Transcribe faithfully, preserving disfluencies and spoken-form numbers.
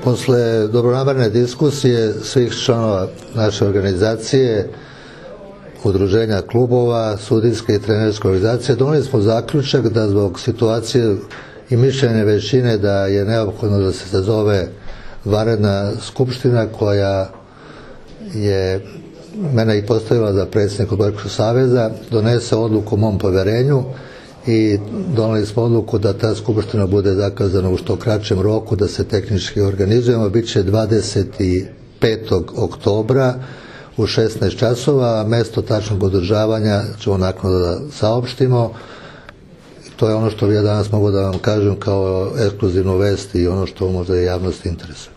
Posle dobronamerne diskusije svih članova naše organizacije, udruženja klubova, sudijske i trenerske organizacije, doneli smo zaključak da zbog situacije i mišljenja većine da je neophodno da se sazove vanredna skupština koja je mene i postavila za predsjednika Odbojkaškog saveza, donese odluku o mom poverenju i doneli smo odluku da ta skupština bude zakazana u što kraćem roku, da se tehnički organizujemo. Biće dvadeset petog oktobra u šesnaest časova, a mesto tačnog održavanja ćemo naknadno da saopštimo. To je ono što ja danas mogu da vam kažem kao ekskluzivnu vest i ono što možda je javnost interesuje.